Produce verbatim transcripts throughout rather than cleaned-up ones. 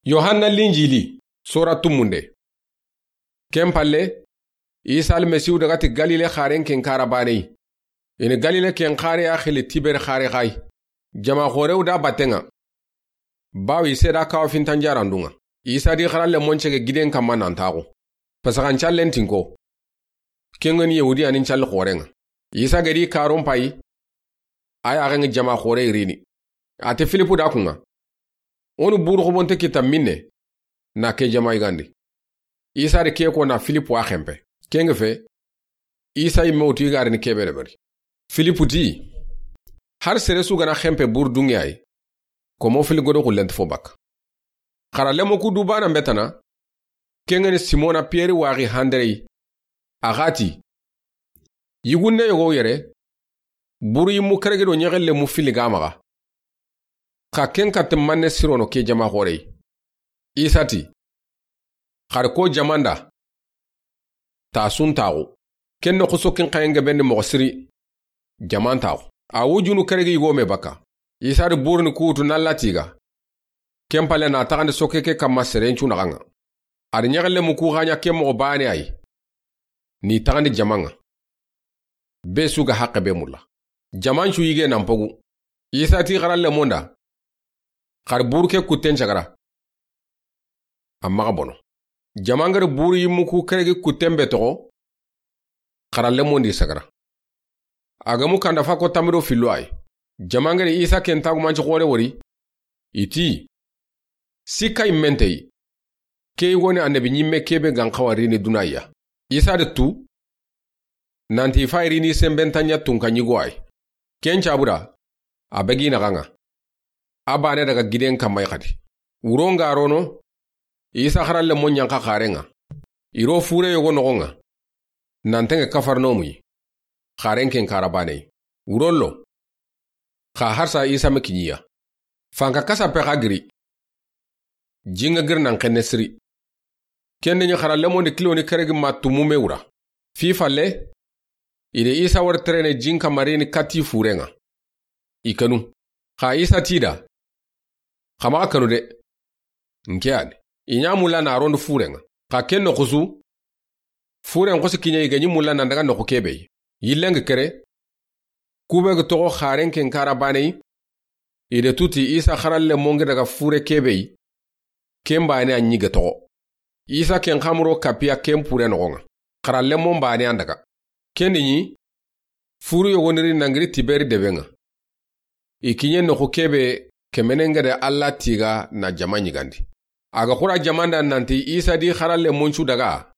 Yohanna Linjili, sora tumunde. Ken palle, Isa Almasihu daga ti Galile xaren ken kara baneyi. I ni Galile ken xare ya xili Tiberi xare xa yi. Jama xorew da batten ŋa. Bawo i seeda kawa fintan jarandun ŋa. Isa di xaralle mon cege giden kanma nan taxu. Pasaxan callen tinko. Ken ŋa ni Yahudiyanin calli xoren ŋa. Isa gedi karon payi. A yaxen ŋa jama xore irini. A ti Filipu da kun ŋa. O ni buru xobonte kita minne. Na ke jama yigandi. Isa di ke ko na Filipu a xenpe. Ken ŋa fe. Isa yimme wutu i ga ri ni kebe deberi. Filipu ti, har sere su ga na xenpe buru dunŋe yi. Komo fili godo xullen ti fo bakka. Xara lemo ku du bana mbetana. Ken ŋa ni Simona Piyeri waxi Handereyi. A xa ti, yigunde yogo yere. Buru yimmu keregi do ɲexelle mu fili ga maxa. Xa ken katte manne sirono ke jama xoreyi. Isa ti, xari ko jamanda. Ta sun taxu. Ken noxu sokkin xayen gebendi moxo siri. Jaman taxu. A wujunu keregi yigo me bakka. Isa di buruni kutu nalla tiga. Ken palle na taxandi sokke ke kanma serencu naxan ŋa. A di ɲexelle mu ku xaɲa ke moxo bane yi. Ni taxandi jaman ŋa. Be su ga haqqe be mulla. Jamancu yige nan pogu. Isa ti xaralle monda. Xari buru ke kutten cagara. A maxa bono. Jamangari buru yimmu ku keregi kutten be toxo. Xaralle mondi sagara. A ga mu kanda fa ko tamido fillo yi. Jamangari Isa ken tagumanci xore wori. I ti, sikka yimmenteyi. Ke yigoni annabi ɲimme kebe gan xawa rini dunaya. Isa de tu. Nanti fa irini sembentaɲa tunka ɲigo yi. Ken cabuda. A begi naxan ŋa. A bane daga giden kanma yi xadi. Wuro nga rono. Isa xaralle mo ɲanka xaren ŋa. Iro fure yogo noxon ŋa. Nan tenge Kafarnomu yi. Xaren ken kara baneyi. Wuro lo. Xa harsa Isa me kiɲiya. Fanka kasa pe xa giri. Jinga giri nan xenne siri. Kende ɲi xara lemondi kiloni keregi ma tumu me wura. Fi falle. I de Isa wari terene jinka marini kati furen ŋa. I kanu. Xa Isa ti da. Xa maxa kanu de. Nke yani. I ɲa mulla na rondi furen ŋa. Xa ken noxu su. Furen xosi kiɲe i ga ɲi mulla nan daga noxu kebe yi. Yillen ga kere. Kube ga toxo xaren ken kara baneyi. I de tuti Isa xaralle mongi daga fure kebe yi. Ken bane a ɲi ga toxo. Isa ken xamuro kapiya ken pure noxon ŋa. Xaralle mon bane an daga. Ken di ɲi. Furu yogoniri nangiri Tiberi deben ŋa. I kiɲe noxu kebe kemenen gede Alla tiga na jama ɲigandi. A ga xura jamanda nanti Isa di xaralle moncu daga.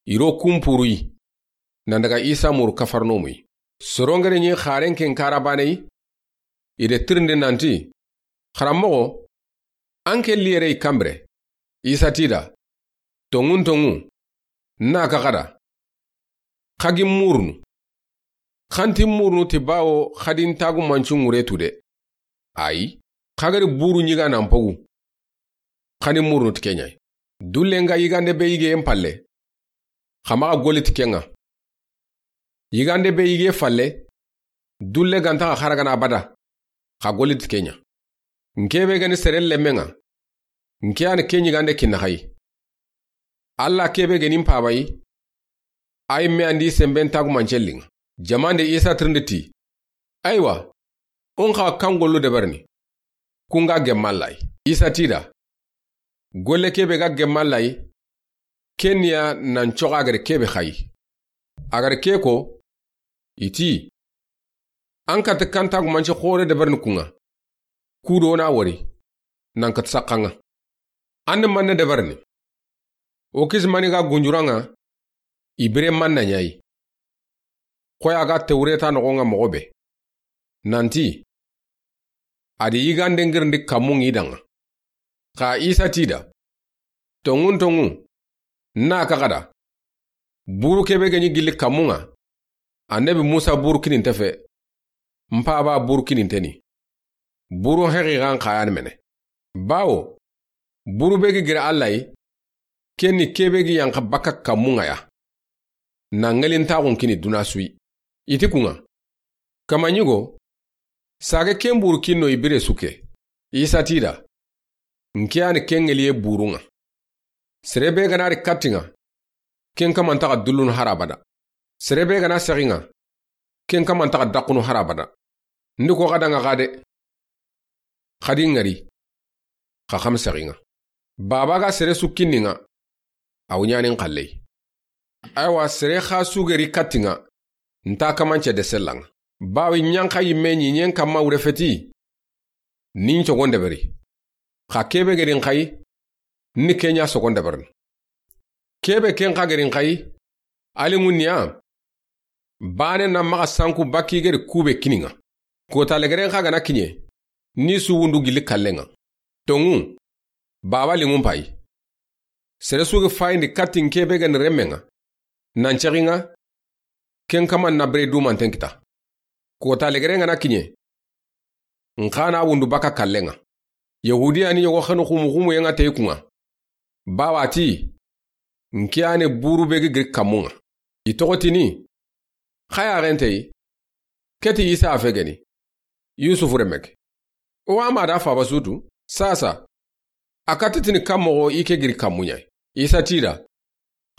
Iro kun puruyi. Nan daga Isa muru Kafarnomu yi. Sorongere ɲi xaren ken kara baneyi. I de tirindi nanti. Xaranmoxo. An ke liyere i kanbire. Isa ti da. Tonŋun tonŋu. Na ka xada. Xagi murunu. Xanti murunu ti bawo xadin tagu mancu ŋure tu de. Ayi. Xagari buru ɲiga nan pogu. Xani murunu ti keɲa yi. Dulle nga yigande be yige en palle. Xa maxa goli ti kenŋa. Yigande be yige falle. Dulle ganta xa xaragana bada. Xa goli ti keɲa. Nkebe gani sere lemmen ŋa. Nke yani ke ɲigande kinna xayi. Alla kebe gani mpabayi. Ay me andi semben tagu mancellinŋa. Jamande Isa tirindi ti. Aywa. On xa kan gollu deberni. Kunga gemmallayi. Isa ti da. Golle kebe ga gemmallayi. Kenya nan coga gare kebe xayi. A gare ke ko. I ti. An kati kantagumanci xore deberni kunŋa. Kudo na wori. Nan kati sakkanŋa. An ni manne deberni. O kisi mani ga gunjuranŋa. I bire manna ɲayi. Xoya ga Tewreta noxonŋa moxo be. Nanti. A di yigande ngirindi kammun ŋi danŋa. Xa Isa ti da. Tonŋun tonŋu. Na ka xada. Buru kebe ga ɲi gilli kammun ŋa. Annabi Musa buru kininte fe. Mpaba buru kininte ni. Buru hexi xan xayani mene. Bawo. Buru be gi giri Alla yi. Kenni kebe gi yanxa baka kammun ŋa ya. Na ŋelintaxun kini duna suyi. I ti kunŋa. Kama ɲigo. Sage ken buru kinno i bire suke. Isa ti da. N ke ya ni ken ŋeliye burun ŋa. Sere be ga na ri katti n ŋa, ken kama nta xa dullunu hari abada. Sere be ga na sexi n ŋa, ken kama nta xa daxunu hari abada. N di ko xa da n ŋa xa de. Xa di n ŋari, xa xa ma sexi n ŋa. Baaba ga sere su kinni n ŋa, a wa ɲaani n xalle yi. Aywa, sere xa su ga ri katti n ŋa, nta kamance de sella n ŋa. Bawo i ɲa n xa yinme ɲiiɲen kanma wure feti, ni n cogon deberi. Xa ke be ga ri n xa yi, ni ke ɲa sogon deberini. Ke be ken xa ga ri n xa yi, a liŋu ni ya, baane na maxa sanku bakki ga ri kube kini n ŋa. Kota legeren xa ga na kiɲe, ni su wundu gilli kallen ŋa. Tonŋu, Baaba liŋun payi. Sere su ga fayindi katti n ke be ga ni renmen ŋa, nan cexi n ŋa, ken kama na bire dumanten kita. Kota legeren ga na kiɲe, n xa na wundu baka kallen ŋa. Yahudiya ni yogo xanu xumu xumu yen ŋa te i kun ŋa. Bawo a ti, n ke ya ni buru be ga giri kanmun ŋa. I toxo tini, xa ya xente yi, ke ti Isa a fe geni, Yusufu renme ke. O wa ma da faaba su tu, sasa. A katti tini kan moxo i ke giri kanmun ɲa yi. Isa ti i da,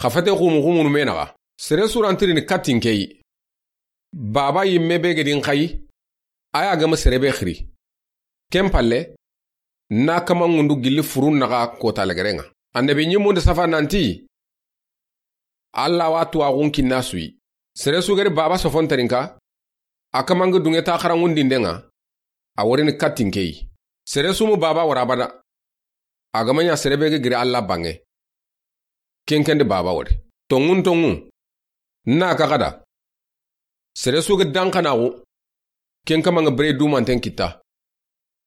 xa fete xumu xumunu me naxa, sere su ra n tirini katti n ke yi. Baaba yinme be ga di n xa yi, a ya ga ma sere be xiri. Ken palle, na kaman ŋundu gilli furun naxa kota legeren ŋa. Annabi ɲimmun da safa nanti, Alla wa tuwaxun kinna su yi. Sere su ga ri Baaba sofonterinka, a kaman ga duŋe ta xaranŋundinden ŋa, a wori ni katti n ke yi. Sere su ma Baaba wara abada, a ga ma ɲa sere be ga giri Alla banŋe. Ken ken di Baaba wori. Tonŋun tonŋu, n na ka xa da, sere su ga danxanaxu, ken kama n ga bire dumanten kita.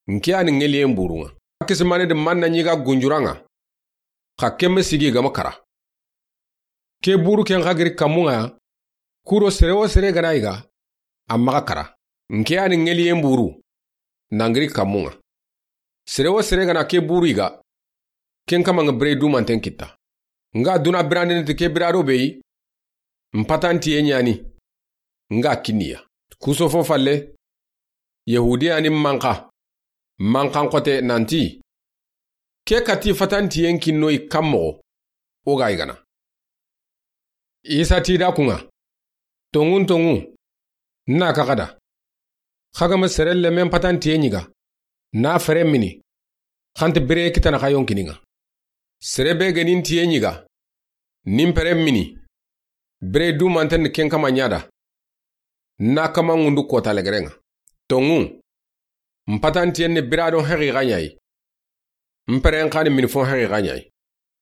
N ke ya ni ŋeliyen burun ŋa. Kisimane di manna ɲi ga gunjuran ŋa, xa ken ma sigi ga ma kara. Ke buru ken xa giri kanmun ŋa ya, kuro sere wo sere ga na yiga, a maxa kara. N ke ya ni ŋeliyen buru, nan giri kanmun ŋa. Sere wo sere ga na ke buru yiga, ken kama n ga bire dumanten kita. N ga duna birandini ti ke birado be yi, n patantiye ɲa ni, n ga kinni i ya. Kusofo falle, Yahudiya ni manxa, manxan xote nanti, ke katti fatantiyen kinno yi kan moxo, o ga yigana. Isa ti i da kun ŋa, tonŋun tonŋu, n na ka xa da, xa ga ma sere lenmen patantiyen ɲiga, na feren mini, xa nta bire kitana xa yonkinin ŋa. Sere be ga ni n tiyen ɲiga, ni n peren mini, bire dumanten ni ken kama ɲa da, na kaman ŋundu kota legeren ŋa. Tonŋu, n patantiyen ni biradon haqiqa ɲa yi, n peren xa ni minifon haqiqa ɲa yi.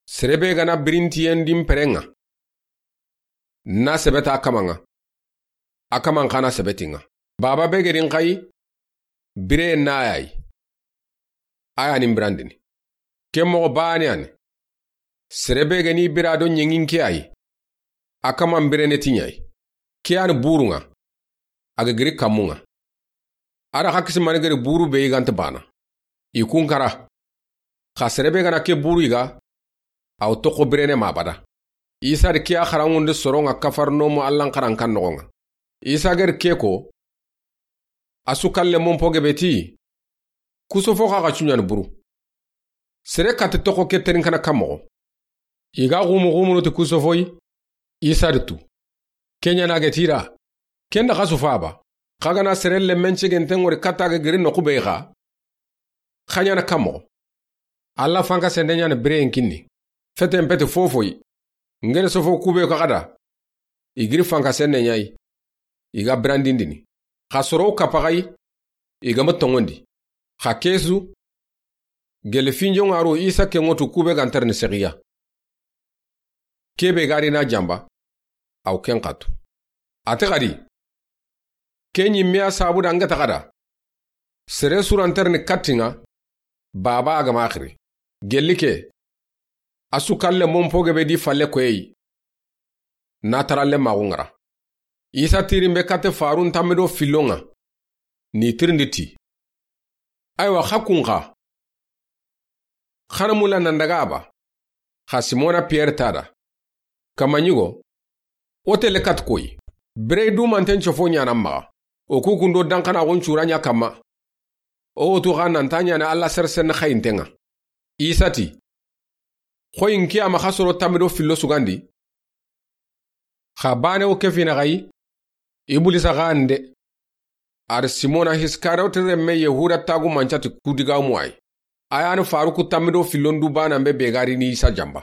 Sere be ga na birintiyen di n peren ŋa, na sebeta a kaman ŋa, a kaman xa na sebeti n ŋa. Baaba be ga di n xa yi, bire na ya yi, a ya ni n birandini. Ke moxo baane ya ni, sere be ga ni birado ɲeŋin ke ya yi, a kaman birene ti ɲa yi. Ke ya ni burun ŋa, a ga giri kanmun ŋa. A da xa kisimane ga ri buru be yi ga nta baana, i kun kara. Xa sere be ga na ke buru yiga, a wa toxo birene ma abada. Isa di ke ya xaranŋundi soron ŋa Kafarnomu Allan xarankan noxon ŋa. Isa ga ri ke ko, a su kalle monpo gebe ti, kusofo xa xa cuɲani buru. Sere katti toxo ke terinkana kan moxo. I ga xumu xumunu ti kusofo yi, Isa di tu. Ke ɲa na ga ti i da, ken da xa su faaba, xa ga na sere lenmen cegenten ŋori katta ga giri noxu be yi xa, xa ɲaana kan moxo. Alla fanka sende ɲaana bireyen kinni. Feten peti fofo yi. N ga da sofo kube ko xa da, i giri fanka sende ɲa yi, i ga birandindini. Xa soro kapa xa yi, i ga ma tonŋondi. Xa ke su, gele finjonŋa ro Isa ken ŋa tu kube ga nta ri ni sexiya. Ke be ga ri na janba, a wa ken xa tu. A ti xa di, ke ɲi me ya sabu da n ga ta xa da, sere su ra nta ri ni katti n ŋa, Baaba a ga ma xiri. Gelli ke, a su kalle monpo gebe di falle koye yi, na taralle maxu ŋara. Isa tirin be katte farun tanmi do fillon ŋa, ni tirindi ti, aywa, xa kun xa, xa na mulla nan daga a ba, xa Simona Piyere ta da. Kama ɲigo, o tele kat koyi. Birey dumanten cofo ɲaana maxa. O kukundo danxanaxun cura ɲa kanma. O wotu xa nanta ɲaana Alla sere senne xayinten ŋa. Isa ti, xoyi n ke ya ma xa soro tanmi do fillo sugandi. Xa baane wo ke fina xayi, Ibulisa xa nde. A ri Simona Iskariyote renme Yahuda taagumanca ti ku digaamu a yi. A yan ni faaruku tanmi do fillon du baanan be be ga ri ni Isa janba.